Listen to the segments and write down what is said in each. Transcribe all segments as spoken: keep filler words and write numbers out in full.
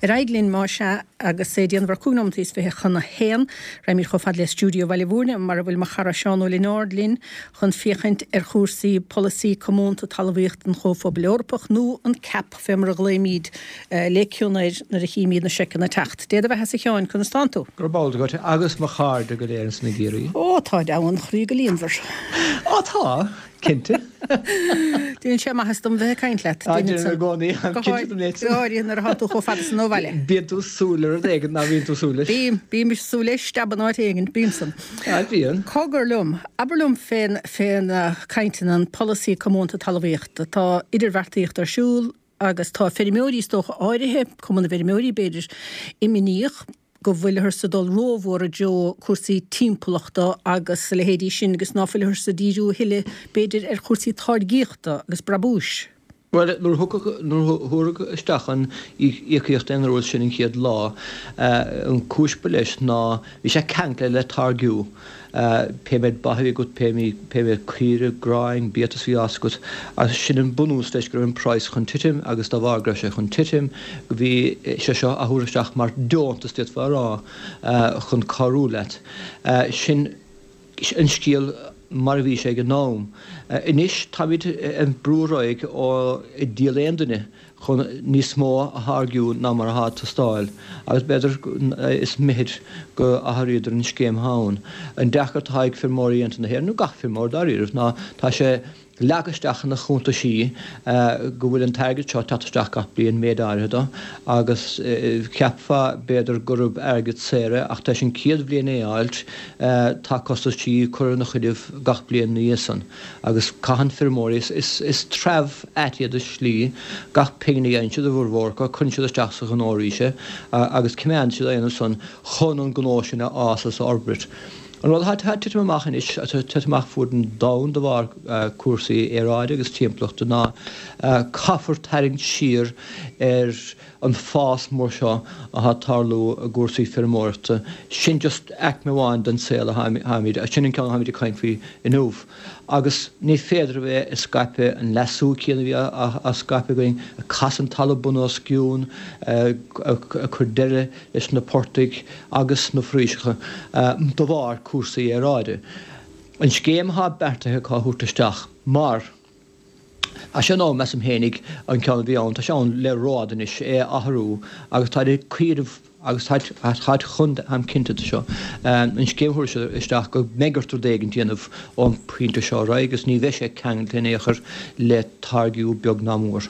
Ar aghaidh linn más ea agus é déanamh ar cúig nóiméad is fiche chun a haon. Raghaimid chomh fada le stiúideo Bhaile Mhúirne mar a bhfuil mo chara Seán Ó Lionáird linn chun féachaint ar chúrsaí polasaí comónta talmhaíochta an Chomhphobail Eorpach nó an CAP fé mar a ghlaoimid le cion air nuair a chímid na seiceanna ag teacht. Dé do bheatha a Sheáin, conas tánn tú? Go raibh maith agat agus mo chairde go léir sna Giarraí. Ó tá deamhan chroí go líonmhar. Ó tá, cinnte. Déanann sé maitheas dom bheith ag caint leat. Á déanann i gcónaí, cinnte dom leat. Go háirithe nuair atá tú chomh fada san ó bhaile. Bíonn tú súil ar rud éigin ná bíonn tú súil leis. Bím, bím súil leis steab in áit éigin, bím san. Á bíonn. Cogar liom, abair liom fén fén cainteanna an polasaí comónta talmhaíochta. Tá idirbheartaíocht ar siúl agus tá feirmeoirí is dócha áirithe, Cumann na bhFeirmeoirí b'fhéidir, imníoch go bhfuilthear ag dul rómhór i dtreo cúrsaí timpeallachta agus a leithéidí sin agus ná fuilthear ag díriú a thuilleadh b'fhéidir ar chúrsaí táirgíochta agus brabúis. Bhuel, nuair a thugtha, nuair a thabharfadh isteach an íocaíocht aon uaire sin an chéad lá, an cúis ba leis ná bhí sé ceangailte le táirgiú. Pé méid ba a bhí agat, pé méid caoire, gráin, biatas a bhí á fhás agat, agus sin an bunús leis go raibh an praghas chun titim agus dá bharr go raibh sé chun titim, bhí sé seo á thabhairt isteach mar deontas d'fhéadfá a rá chun cabhrú leat. Sin an scéal mar a bhí sé ag an am. Anois táimid ag brú ar aghaidh ó díol aon duine chun níos mó a tháirgiú ná mar atá ag teastáil, agus b'fhéidir is mithid go athraíodar an scéim ann. An deacracht atá ag feirmeoirí aontaithe na hÉireann, nó gach feirmeoir dáiríribh, ná tá sé leagtha isteach ina chuntaisí go bhfuil an t-airgead seo ag teacht isteach gach bliain, méid áirithe dó, agus cheapfá b'fhéidir gurb airgead saor é, ach tar éis an chéad bhliain é a fháilt, tá costaisí curtha ina choinnibh gach bliain ina dhiaidh san. Agus caitheann feirmeoirí, is treabh ait iad i slí, gach pingin a fhaigheann siad, a bhformhór acu, cuireann siad isteach sa ghnó arís é agus coimeádann siad á dhéanamh san chun an gnó sin a fhás is a fhorbairt. An rud atá ag titim amach anois, atá ag titim amach fuaid an domhan de bharr cúrsaí aeráide agus timpeallachta ná caithfear tarraingt siar ar an fás mór seo atá ag tarlú i gcúrsaí feirmeoireachta. Sin just aicme amháin den saol atáimid, sin an ceann atáimid ag caint faoi inniu. Agus ní féidir a bheith ag scaipeadh an leasú céanna a bhí á scaipeadh againn, ag casadh an talamh bun os cionn, ag cur deireadh leis na portaigh agus na foraoiseacha de bharr cúrsaí aeráide. An scéim atá beartaithe acu a thabhairt isteach mar tá sé in am, measaim fhéinig, an ceann a bhí ann, tá sé ann le rófhada anois, é a athrú agus táid ag cuimhneamh agus táid chun, táim cinnte de seo, an scéim a thabhairt isteach go mbeidh ort rud éigin a dhéanamh ón bpointe seo ar aghaidh agus ní bheidh sé ceangailte in aon chor le táirgiú beag ná mór.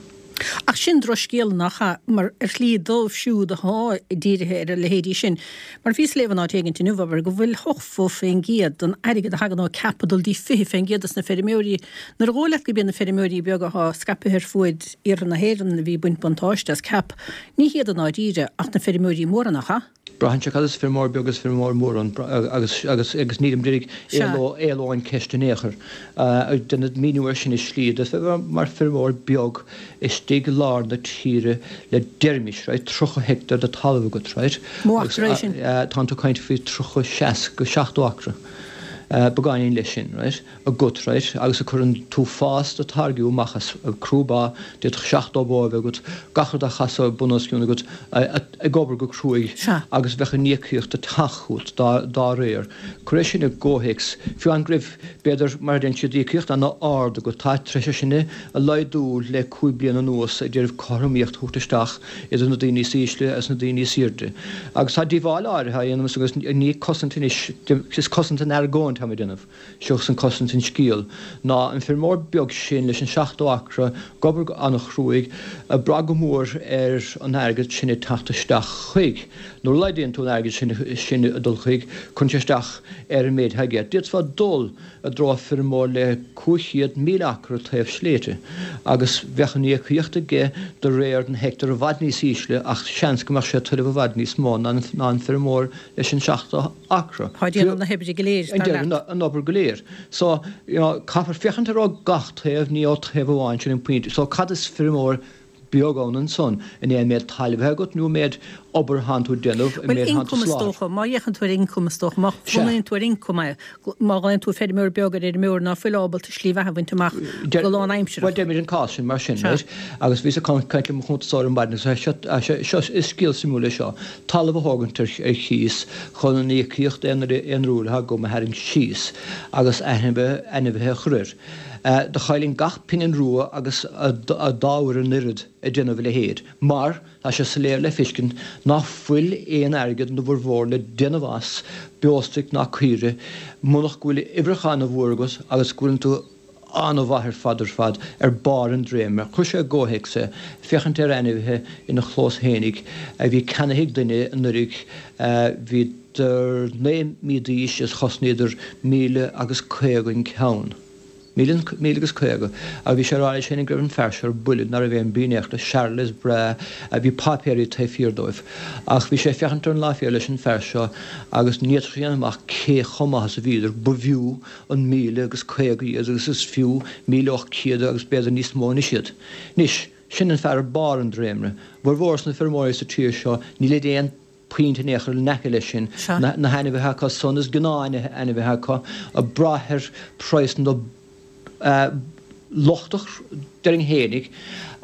Ach sin drochscéal, nach ea? Mar ar shlí dóibh siúd atá dírithe ar a leithéidí sin. Mar bhíos ag léamh in áit éigint inniu, abair, go bhfuil ochtó faoin gcéad den airgead a thagann ó CAP ag dul dtí fiche faoin gcéad dos na feirmeoirí. Nuair a dhóigh leat gurb iad na feirmeoirí beaga atá scaipthe ar fuaid iarthar na hÉireann a bhí ag baint buntáiste as CAP, ní hiad i ndáiríre ach na feirmeoirí móra, nach ea? Braitheann sé cad is feirmeoir beag is feirmeoir mór ann agus agus agus nílim ag iarraidh éalú ón cheist in aon chor. Déanfaidh míniú air sin i slí de mar feirmeoir beag istigh i lár na tíre le deirimis, right, tríocha heicteár de talamh agat, right, Mó acra é sin? Tánn tú ag caint faoi tríocha, seasca, seachtó acra, beagáinín leis sin, right. agat, right, agus a cuireann tú fás do táirgiú amach as crú ba, d'fhéadfadh seachtó bó a bheith agat, gach rud á chasadh bun os cionn agat, ag obair go cruaidh agus bheadh an íocaíocht ag teacht chugat dá, dá réir. Cuir é sin i gcomhthéacs, fiú amháin go raibh, b'fhéidir, mar a deireann siad, íocaíocht ana-ard agat, tá tar éis é sin a laghdú le cúig bliana anuas ag iarraidh cothromaíocht a thabhairt isteach idir na daoine is ísle agus na daoine is airde. Agus tá díobháil áirithe á dhéanamh agus ní cosaint anois, is cosaint an argóint atáim ag déanamh. Seachas an cosaint an scéal ná an feirmeoir beag sin leis an seachtó acra ag obair go an-chruaidh, ag brath go mór ar an airgead sin ag teacht isteach chuig. Nuair a laghdaíonn tú an airgead sin sin ag dul chuig, cuireann sé isteach ar an méid atá aige. D'fhéadfá dul i dtreo feirmeoir le cúig chéad míle acra taobh sléibhte agus bheadh an íocaíocht aige de réir na heicteár i bhfad níos ísle ach seans go mbeadh sé ag tuilleamh i bhfad níos mó ná an feirmeoir leis an seachtó acra. Tá ag déanamh na hoibre go léir, dar leat. An obair go léir. So, you know, caithfear féachaint air ó gach taobh, ní ó taobh amháin, sin an pointe. So, cad is feirmeoir beag ann ansan, an é an méid talaimh atá agat nó an méid obair atánn tú ag déanamh, an Bhuel, méid atánn tú ioncam is soláthar. dócha, má fhéachann tú ar ioncam is dócha, má Sea. bhunaíonn tú ar ioncam é, má ghlaonn tú feirmeoir beag ar fheirmeoir ná fuil ábalta slí bheatha a bhaint amach go lánaimsearach. Bhuel, deirimid an cás sin mar sin, Sea. right? Agus bhíos ag caint le mo chuntasóir ar maidin agus seo, seo, is scéal suimiúil é seo, talamh a thógaint ar, ar chíos chun an íocaíocht aonarúil atá agam a tharraingt síos agus ainmhithe, ainmhithe a chur air. Do chaillinn gach pingin rua agus a dá uair an oiread ag déanamh a leithéid, mar tá sé soiléir le feiscint ná fuil aon airgead ina bhformhór le déanamh as beostoic ná caoirigh munach go bhfuil uimhreacha ana-mhór agat agus go bhfuileann tú an-mhaith ar fad ar fad ar barr an dréimire. Chuir sé i gcomhthéacs é, féachaint ar ainmhithe ina chlós fhéinig a bhí ceannaithe ag duine anuraidh, bhíodar naoi mí d'aois is chosnaíodar míle agus caoga an ceann. Míle, míle agus caoga. Agus bhí sé ag rá leis féinig go raibh an fear seo ar buile, ná raibh aon bhrí in aon chor leis, Charolais breá, bhí páipéirí taobh thiar dóibh. Ach bhí sé ag féachaint ar an lá fial leis an fear seo agus ní fhéadfadh sé a dhéanamh amach cé chomh maith is a bhíodar. Ba bhfiú an míle agus caoga iad agus is fiú míle ocht céad agus b'fhéidir níos mó anois iad. Anois, sin an fear ar barr an dréimire. Formhór sna feirmeoirí sa tír seo, nílid aon punt in aon chor in aice leis sin. Sea. Na hainmhithe acu san, is gnáth-ainmhithe acu, ag brath ar praghas na lochtach, déarfainn fhéinig,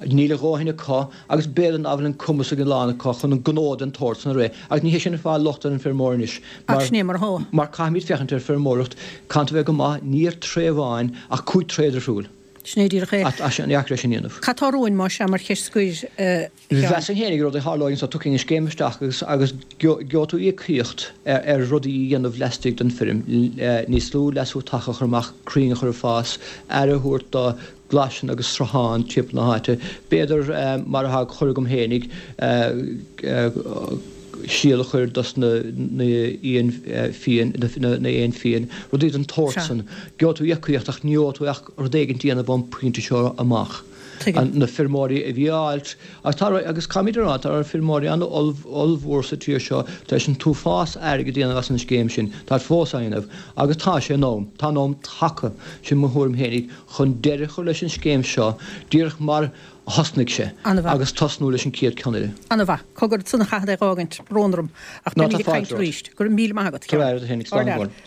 níl a dhóthain acu agus b'fhéidir ná fuil an cumas ag a lán acu chun an gnó den tsórt san a rith. Agus ní hé sin an fáth locht ar an feirmeoir anois, Ach mar, sin é mar atá. mar caithfimid féachaint ar feirmeoireacht, caithfidh tú a bheith go maith, ní ar tréith amháin ach cúig tréith difriúil. Sin é díreach é. Tá sé an-deacair é sin a dhéanamh. Cad tá romhainn, más ea, mar cheist scoir, a Sheáin? Mheasfainn féinig rud a tharlóidh anso, tiocfaidh an scéim isteach agus agus gheobhaidh tú íocaíocht ar rudaí a dhéanamh laistigh den feirm, níos lú leasú taca a chur amach, crainn a chur ag fás, aire a thabhairt do ghlaiseanna agus srutháin timpeall na háite, b'fhéidir mar atá curtha agam féinig, síol a chur dos na éin fiáin, na éin fiáin, rudaí den tsórt Sea. san. Gheobhaidh tú íocaíocht ach ní gheobhaidh tú ach rud éigin a dhéanamh ón bpointe seo amach. Tuigim. Na feirmeoirí a bhí á fháilt, agus tá, agus caithfimid a rá, tá feirmeoirí an-ollmhór sa tír seo tar éis an t-uafás airgid a dhéanamh as an scéim sin, táid fós á dhéanamh, agus tá sé in am, tá an am tagtha, sin mo thuairim fhéinig, chun deireadh a chur leis an scéim seo, díreach mar a thosnaigh sé, An-mhaith. agus tosnú leis an chéad ceann eile. An-mhaith. Cogar, ansan a chaithfead é dh'fhágaint, brón orm, ach Ná beimid tá ag caint fáilte romhat. arís. Go raibh míle maith agat, Go Sheáin. raibh agat fhéinig, slán Ard go leat. fóill.